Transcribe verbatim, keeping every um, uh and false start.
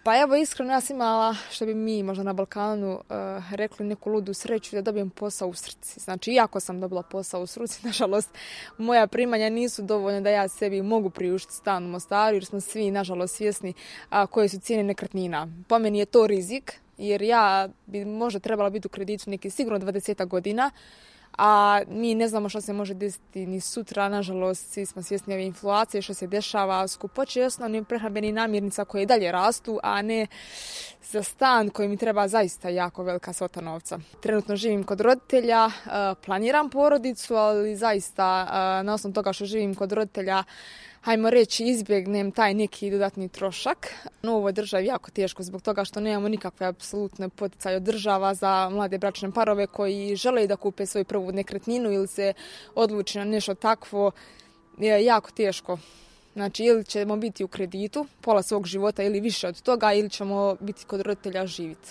Pa evo, iskreno, ja sam imala, što bi mi možda na Balkanu uh, rekli, neku ludu sreću da dobijem posao u Srci. Znači, iako sam dobila posao u Srci, nažalost, moja primanja nisu dovoljne da ja sebi mogu priuštiti stan u Mostaru, jer smo svi, nažalost, svjesni uh, koje su cijene nekretnina. Po meni je to rizik, jer ja bi možda trebala biti u kreditu neki sigurno dvadeset godina, a mi ne znamo što se može desiti ni sutra, nažalost, svi smo svjesni ove inflacije, što se dešava, skupoće osnovnih prehrambenih namirnica koje dalje rastu, a ne za stan koji mi treba zaista jako velika svota novca. Trenutno živim kod roditelja, planiram porodicu, ali zaista na osnovu toga što živim kod roditelja, hajmo reći, izbjegnem taj neki dodatni trošak. U ovoj državi jako teško zbog toga što nemamo nikakve apsolutne poticaje od država za mlade bračne parove koji žele da kupe svoju prvu nekretninu ili se odluči na nešto takvo. Je jako teško. Znači, ili ćemo biti u kreditu pola svog života ili više od toga, ili ćemo biti kod roditelja živjeti.